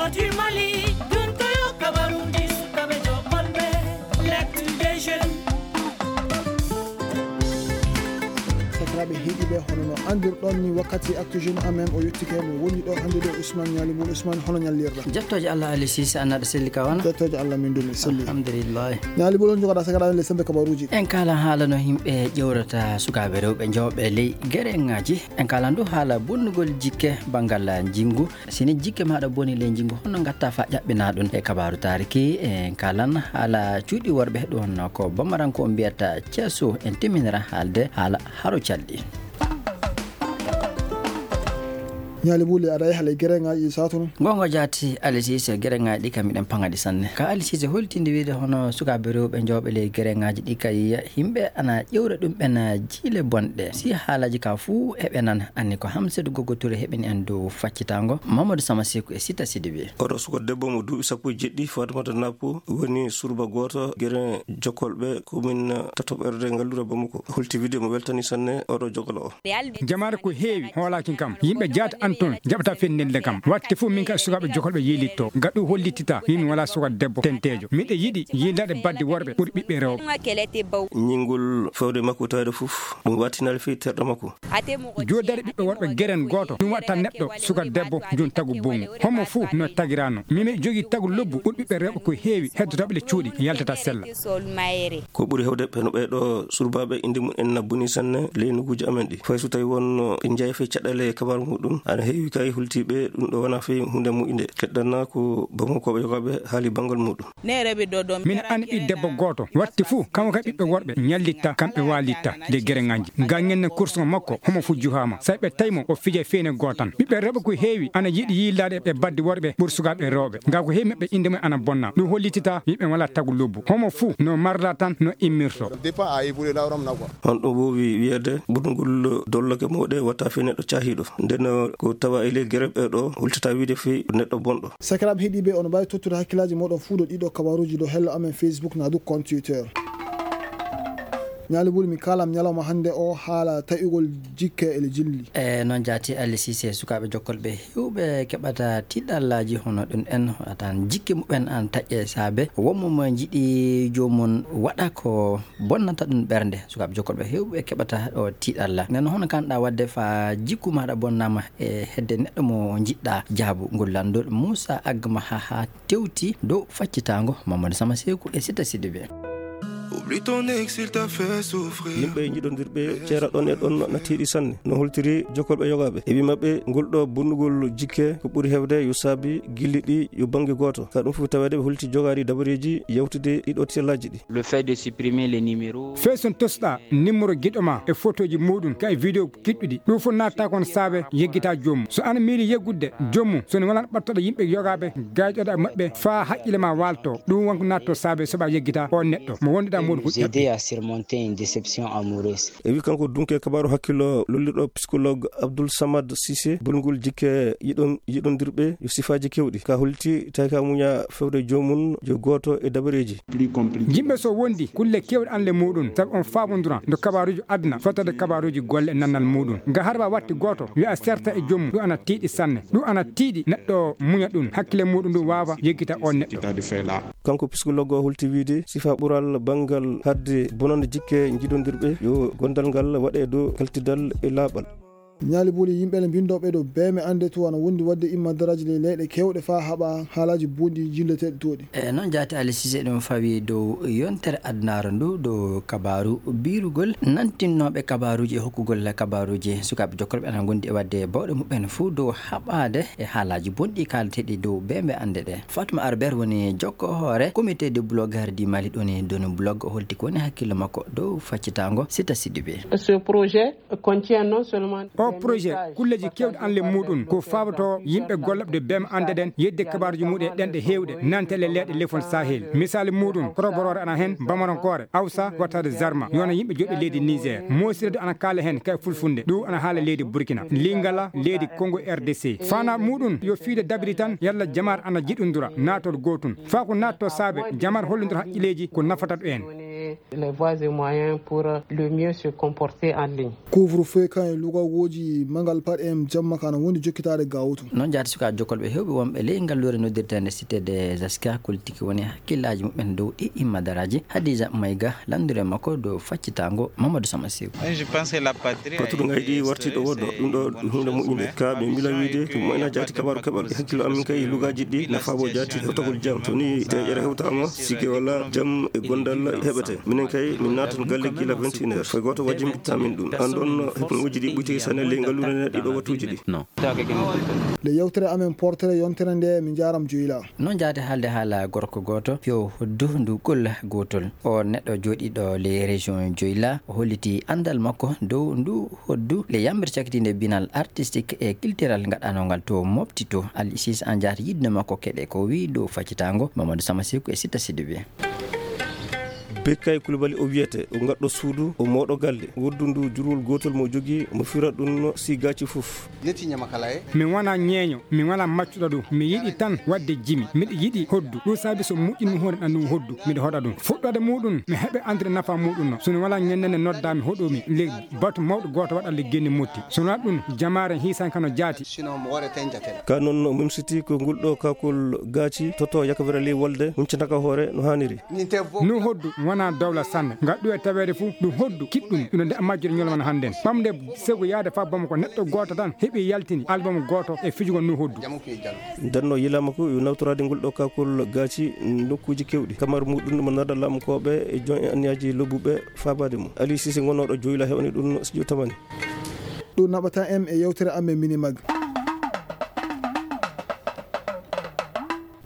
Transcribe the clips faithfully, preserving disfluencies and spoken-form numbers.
Mali, dunkoyo kabaruji sukaɓe joɓɓonɓe, l'actu des jeunes. Sakiraaɓe heɗiiɓe, hono no anndirɗon ni, wakkati Actu Jeune amen o yettike. Min woni ɗo hannde ɗo, Ousmane Ñaali Bol. Ousmane, hono ñallirɗa? Jettooje Allah, Ali Sise, annaɗo selli ka wona? Jettooje Allah, min dumi selli. Alhamdulillahi. Ñaali Bol, on jogoɗa sakiraaɓe le sembe kabaruji. En kalan haala no yimɓe ƴewrata sukaaɓe rewɓe jooɓe ley gereŋaaji. En kalan du haala bonnugol jikke banngal njinngu. Si ni jikke maaɗa boni ley njinngu, honno ngatta faa ƴaɓɓina ɗum? E kabaaru taariki, en kalan haala cuuɗi worɓe, ɗum honno ko Bamaranko mbiyata ceeso. En timminira haalde haala haro calɗi. Ñaali Buli, aɗa yaha ley gereŋaaji saatu noon? Goonga jaati, Ali Sise, gereŋaaji ɗi kam miɗen paŋa ɗi sanne. Ka Ali Sise holtinde wiide hono sukaaɓe rewɓe jooɓe ley gereŋaaji ɗi kay, yimɓe ana ƴewra ɗum ɓen jiile bonɗe. Si haalaaji ka fuu eɓe nan, anni ko Hamsatu Gogo Ture heɓini en dow faccitaango, Mamadou Sama Seku e Sita Sidibé. Oɗo suka debbo mo duuɓi sappo e jeɗɗi, Fatimata Nappo, woni surba gooto gere jokkolɓe komin tatoɓerde ngallura Bamako. Holti wiide mo weltani sanne oɗo jogolo o. Jamaare ko heewi hoolaaki kam. Yimɓe jaata an toon jaɓata fenninde kam. Watte fof min ka sukaaɓe jokkolɓe yiilitto. Gaɗu hollitita min wala suka debbo tenteejo. Miɗo yiɗi yiilaade badde worɓe ɓuri ɓiɓɓe rewɓe. Ñingol fewde makko tawde fof ɗum wattinaali fii terɗo makko. Joodare ɓiɓɓe worɓe geren gooto, ɗum watta neɗɗo suka debbo jun tagu bongu. Homo fuu no tagirano. Mimi jogi tagu lobbu ɓuri ɓiɓɓe rewɓe ko heewi heddotooɓe le cuuɗi yaltata sella. Ko ɓuri hewde ɓe no ɓee ɗo surbaaɓe inde mum en na boni sanne ley nokkuuji amen ɗi. Fay so tawi wonno ɓe njeya fii caɗeele e kabaaru muɗum, ana heewi kay hultiiɓe ɗum ɗo wona fii hunde moƴƴunde. Keddana ko Bamako ɓe yogaaɓe haali banngal muɗum. Min anndi ɓii debbo gooto, watti fuu, kanko ka ɓiɓɓe worɓe, ñallitta, kamɓe waalitta, de gereŋaaji. Gañen ne kursuŋo makko, homo fuu juhaama. Say ɓe tawi mo, o fija feene gootan. Ɓiɓɓe rewɓe ko heewi, ana yiɗi yiilaade e baddi worɓe, ɓur sukaaɓe rewɓe. Nga ko heewi maɓɓe innde mum ana bonna. Ɗum hollitita, yimɓe wala tagu lobbu. Homo fuu, no marla tan, no immirto. On ɗum woowi wiyeede, ɓurngol dolloke mawɗe watta fii neɗɗo caahiiɗo. Nden ko tawa e ley gere ɓe ɗo, hultata wiide fii neɗɗo bonɗo. Sakiraaɓe heɗiiɓe, on mbaawi tottude hakkillaaji mooɗon fuu ɗo ɗiɗo kabaruuji ɗo hello amen Facebook naa du compte Twitter. Ñaali Buli, mi kaalam ñalawma hannde o haala taƴugol jikke e le jilli. E noon jaati, Ali Sise, sukaaɓe jokkolɓe heewɓe keɓata tiiɗallaaji hono ɗum en, wata jikke muɓɓen an taƴƴe saabe wonmo mo njiɗi joomum waɗa ko bonnata ɗum ɓernde. Sukaaɓe jokkolɓe heewɓe keɓata ɗo tiiɗalla. Nden hono kanɗa waɗde faa jikku maaɗa bonnaama e hedde neɗɗo mo njiɗɗa? Jaabu ngol lanndol Muusa Agma haa haa tewti dow faccitaango Mamadou Sama Seeku e Sita Sidibé. Oublie ton ex, il t'a fait souffrir. Yimɓe njiɗondirɓe ceera ɗon e ɗon na tiiɗi sanne. No holtiri jokkolɓe yogaaɓe. E wi maɓɓe, ngol ɗo bonnugol jikke ko ɓuri heewde yo saabi gilli ɗi yo bannge gooto. Ka ɗum fof taweede ɓe holti jogaari dabareeji yewtude ɗiɗo tellaaji ɗi. Le fait de supprimer les numéros. Fee son tosɗa numéro giɗo ma e photoji muɗum ka e vidéo kiɗɗuɗi. Ɗum fof natta kon saabe yeggita joomum. So ana miili yeggudde joomum, so ne wala ɓattoɗo yimɓe yogaaɓe gayɗoɗa e maɓɓe faa haqqille ma waalto. Ɗum wonko natto saabe soɓa yeggita on neɗɗo mo wonduɗa muɗum ko ƴaɓɓi. Aider à surmonter une déception amoureuse. E wi kanko dunke kabaaru hakkillo lollirɗo psychologue Abdoul Samad Cissé, bolngol jikke yiɗon-, yiɗondirɓe yo sifaaji kewɗi. Ka holti tawi ka muña fewde joomum jo gooto e dabareeji. Yimɓe so wondi kulle kewɗe an le muɗum, sabu on faamondura ndo kabaaruji aduna, fottade kabaaruji golle e nannal muɗum. Nga harba watti gooto, wi'a serta e joomum, ɗum ana tiiɗi sanne. Ɗum ana tiiɗi neɗɗo muña ɗum, hakkille muɗum ndu waawa yeggita on neɗɗo. Kanko psychologue o holti wiide, sifa ɓural banngal hadde bonande jikke njiɗondirɓe, yo gondal ngal waɗe dow kaltidal e laaɓal. Ñaali Buli, yimɓe le mbinndooɓe ɗo beeme annde tu ana wondi waɗde imma daraaji ley leyɗe keewɗe faa haɓa haalaaji bonɗi jilleteeɗi tooɗi. E noon jaati Ali Sise ɗum fawi dow yontere adunaaru ndu, dow kabaaru biirugol nantinnooɓe kabaaruuji e hokkugol kabaaruuji. Sukaaɓe jokkorɓe ana ngondi e waɗde bawɗe muɓɓen fuu dow haɓaade e haalaaji bonɗi kaalateeɗi dow beeme annde ɗe. Fatma Arber woni jokko hoore Comité de blogueurs du Mali, ɗoni doni blog, o holti ko woni hakkille makko dow faccitaango Sita Sidibé. Ce projet contient non seulement o projet kulleeji kewɗi an le muɗum ko faaboto yimɓe gollooɓe beeme annde ɗen yedde kabaaruuji muɗum e ɗenɗe heewɗe nante le leyɗe lefol Sahel. Misaali muɗum, koroboroore ana heen, bamarankoore, awsa, wattaade zarma, yo won yimɓe joɗɗo leydi Niger. Moosirde ana kaala heen kay fulfulde, ɗum ana haala leydi Burkina, Lingala, leydi Congo R D C. Faanaa muɗum yo fiide dabiri tan yalla jamaare ana jiɗondura naatol gootum. Faa ko naatto saabe jamaare hollondira haqqilleeji ko nafata ɗo en. Les voies et moyens pour le mieux se comporter en ligne. Couvre-feu kan e lugagooji mangal paɗe en jamma kan woni jokkitaade gawtu. Noon jaati sukaaɓe jokkolɓe heewɓe wonɓe ley ngalluure noddirteende Cité des Aska koltiki woni hakkillaaji muɓɓen dow ɗi immadaraaji. Hadija Mayga lanndure makko dow faccitaango Mamadou Sama Seeku. Paturu ngayɗi warti ɗo wonno ɗum ɗo ɗum huunde moƴƴunde ka ɓe mbila wiide ɗum moyna jaati kabaru keɓal e hakkillo amin kay lugaaji ɗi nafaabo jaati hewtagol jam to ni deƴere hewtaama sikke wala jam e gondal heɓete. Minen kay min naatan galle gila vingt et une heures foy gooto wajji mbitta min ɗum an ɗon heɓnguuji ɗi ɓuyti sanne ley ngalluure nde ɗiɗo wattuuji ɗi. Nde yewtere amen portere yontere nde min njaaram joyla. Noon jaade haalde haala gorko gooto fiyo hoddu ndu golla gootol. O neɗɗo jooɗiiɗo ley région joyla o holliti anndal makko dow ndu hoddu le yammbere cakitiinde binal artistique e culturel ngaɗanongal to mofti to. Ali sis an jaata yiɗno makko keɗe ko wi dow faccitaango Mamadou Sama Seeku e Sitta Sidibe. Bekkay Kulubali o wiyete o gaɗɗo suudu o mooɗo galle woddu ndu jurwol gootol mo jogii mo fira ɗum si gaaci fof. Min wona ñeeño, min wona maccuɗo ɗum. Mi yiɗi tan waɗde jimi. Miɗo yiɗi hoddu. Ɗum saabi so moƴƴinmi hoore ɗan ɗum hoddu. Miɗo hoɗa ɗum. Fuɗɗoode muɗum, mi heɓe andude nafa muɗum no. So mi wala ñande nde noddaami hoɗumi le batu mawɗo gooto waɗa le genni motti. So wona ɗum, jamaare hiisan kano jaati. Ka noon o mimsiti ko ngol ɗo kakol gaaci toto yakavira ley wolde huncataka hoore no haaniri. No hoddu wona dawla sanne. Ngal ɗo e taweede fof ɗum hoddu kiɗɗum ino nde majjude ñolma no hannden. Ɓamde sego yaade fa Bamako neɗɗo gooto tan heɓi yaltini album gooto e fijugol no hoddu. Ndenno yilama ko yo nawtoraade ngol ɗo kakol gaaci nokkuuji kewɗi. Kamar muɗum mo nada lamkooɓe e jon e anniyaaji lobbuɓe faabaade mum. Ali Sise ngonooɗo joyla heɓani ɗum studio tamani. Ɗum naɓata en e yewtere amen Minimag.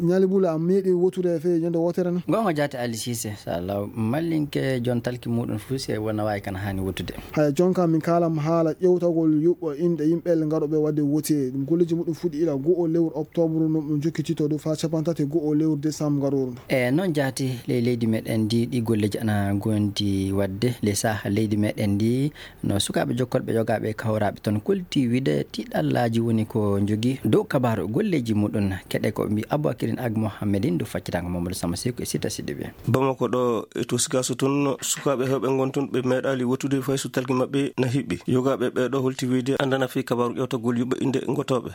Ñaali Bula, a meeɗi wotude e fee ñande wootere na? Goonga jaate Ali Sise, so Allah mallinke jon talki muɗum fof se wona waawi kan haani wotude. Haya, jonka min kaalam haala ƴewtagol yuɓɓo inɗe yimɓe ngaɗooɓe waɗde wote. Ɗum golleeji muɗum fuɗɗi ila go'o lewru octobre, no ɗum jokkitito ɗo faa cappanɗe tati e go'o lewru décembre ngarooru ndu. E noon jaati ley leydi meɗen ndi, ɗi golleeji ana gondi waɗde ley saha leydi meɗen ndi. No sukaaɓe jokkolɓe yogaaɓe e kawraaɓe toon kolti wiide tiiɗallaaji woni ko njogii dow kabaaru golleeji muɗum. Keɗe ko mbi Aboubacrine Ag Mohammedine dow faccitaango Mamadou Sama Seeku e Sita Sidibe. Bamako ɗo e to Sikaso toon sukaaɓe heewɓe ngon toon ɓe meeɗaali wotude fay so talki maɓɓe na hiɓɓi. Yogaaɓe ɓeeɗo holti wiide anndana fii kabaaru ƴewtagol yuɓɓe innde ngotooɓe.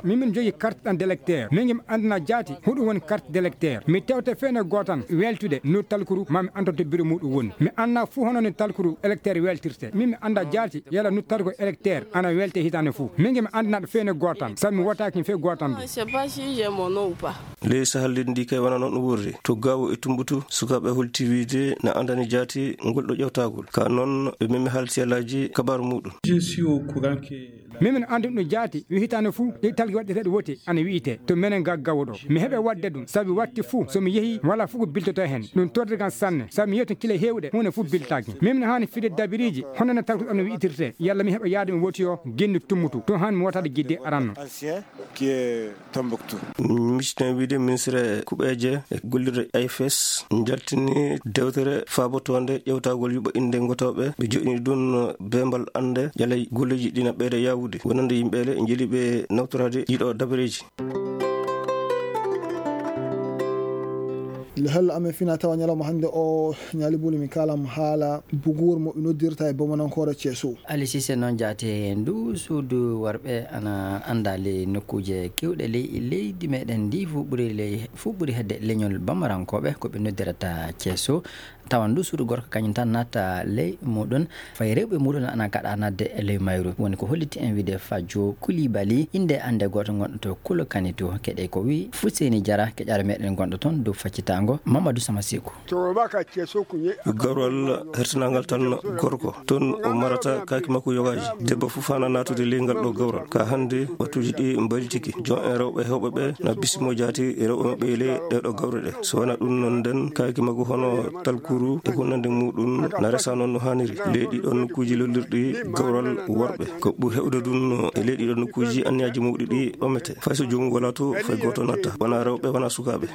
Min min njogii carte d'identité électeur. Min ngim anndana jaati huɗum woni carte d'électeur. Mi tewte feene gootan weltude no talkuru ma mi antoto biro muɗum woni. Mi anna fuu hono no talkuru électeur weltirte. Min mi annda jaati yala no talkuru électeur ana welte hitaande fuu. Min ngim anndanaɗo feene gootan sabu mi wotaaki fee gootan ɗum. Ley sahal leydi ndi kay wona noon ɗum wurri. To Gaawo e Tumbutu, sukaaɓe holti wiide na anndani jaati ngol ɗo ƴewtagol. Ka noon ɓe memi haalti alaaji kabaaru muɗum. Min min anndi ɗum jaati wi hitaande fuu ɗi talki waɗeteeɗo wote ana wiyetee to menen ga Gaawo ɗo. Mi heɓe waɗde ɗum sabu watti fuu so mi yehi wala fuu ko biltoto heen. Ɗum tordi kam sanne sabu mi yehi toon kile heewɗe huunde fuu biltaaki. Min min haani fide dabiriiji hono no talki ɗo no wiyitirtee yalla mi heɓa yaade mi wotiyo genni Tumbutu. Ɗum haani mi wotaade gidde aranno. Qui est Tombouctou. Miciten wiide ministre kuɓeeje e gollirde I F S jaltini dewtere faabotoonde ƴewtagol yuɓɓo innde ngotooɓe. Ɓe joɗɗini ɗum beembal annde yalay golleeji ɗi na ɓeyda yaawude wonande yimɓe ele njeli ɓe nawtoraade ɗiɗo dabareeji. Hello amen fina tawa ñalawma hannde o Ñaali Buli mi kaalam haala buguur mo ɓe noddirta e bomanankoore Ceeso. Ali Sise noon jaate ndu suudu worɓe ana anndaa ley nokkuuje keewɗe ley leydi meɗen ndi fuu ɓuri ley fuu ɓuri hedde leñol bamarankooɓe ko ɓe noddirata Ceeso. Tawa ndu suudu gorko kañum tan natta ley muɗum fay rewɓe muɗum ana kaɗa nadde e ley mayru. Woni ko holliti en wiide Fajo Kulibali innde annde gooto ngonɗo to Kulo Kanitu keɗe ko wi Fuseni Jara keƴaɗo meɗen gonɗo toon dow faccitaango Mamadou Sama Seeku. Gawral hertanaangal tan gorko toon o marata kaaki makko yogaaji. Debbo fof hana naatude ley ngal ɗo gawral ka hannde wattuuji ɗi mbaylitiki jon en rewɓe heewɓe ɓe na bisimo jaati rewɓe maɓɓe e ley ɗeɗo gawre ɗe. So wona ɗum noon nden kaaki makko hono talkuru e wonande muɗum na resa noon no haaniri ley ɗiɗo nokkuuji lollirɗi gawral worɓe. Ko ɓuri heewde ɗum e ley ɗiɗo nokkuuji anniyaaji mawɗi ɗi ɓamete fay so joomum wala to fay gooto natta wona rewɓe wona sukaaɓe.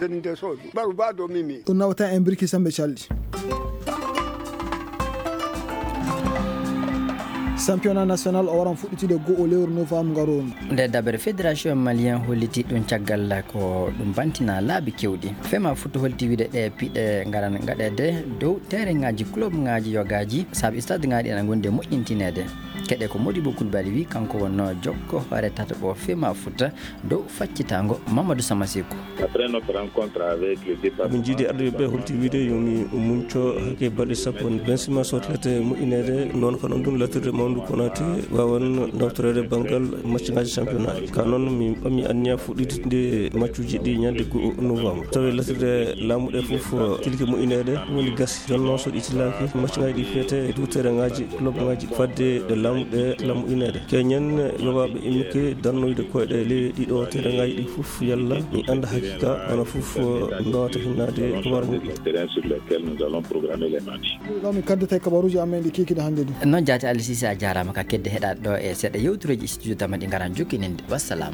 Ɗum nawata en birki sambe calɗi. Championnat national o waran fuɗɗitude goo lewru novembre ngaroru. Nde dabere fédération malien holliti ɗum caggal ko ɗum bantina laabi kewɗi. Fema Foot holti wiide ɗe piɗe ngaran gaɗeede dow terrain ngaji club ngaji yogaaji, saabu stade ngaji ena ngondi e moƴƴintineede. Keɗe ko Modibo Koulibaly wi, kanko wonno jokko hoore tataɓo Fema Foot dow faccitango Mamadou Samasekou. Après notre rencontre avec le département. Min jiidi ardiɓe ɓe holti wiide yomi munco hakke balɗe sappo. Bensima sotlete moƴƴineede, noon ko noon ɗum latirde mawndu Konaté wawan nawtoreede banngal match ngaji championnat. Ka noon mi ɓammi anniya fuɗɗitde matchuji ɗi ñande goo novembre. Tawi latirde laamuɗe fof tilki moƴƴineede, woni gasi. Jonno so ɗi tilaaki, match ngaji ɗi fiyete e dow terrain ngaji, club ngaji, fadde ɗe laamuɗe lamuɗineede. Keñen yowaɓe immike darnoyde koyɗe ley ɗiɗo terrain ngaji ɗi fof, yalla mi annda haqiqa, wona fof mbawata hinnaade kabaru ngu. Terrain sur lesquels nous allons programmer les matchs. Ɗo min kaddata e kabaruuji amen ɗi kikiɗe hannde ɗi. Noon jaati, Aliou Cissé, a jaaraama ka kedde heɗaade ɗo e seeɗa yewtureeji studio Tamma ɗi ngaran jokkininde. Wassalam.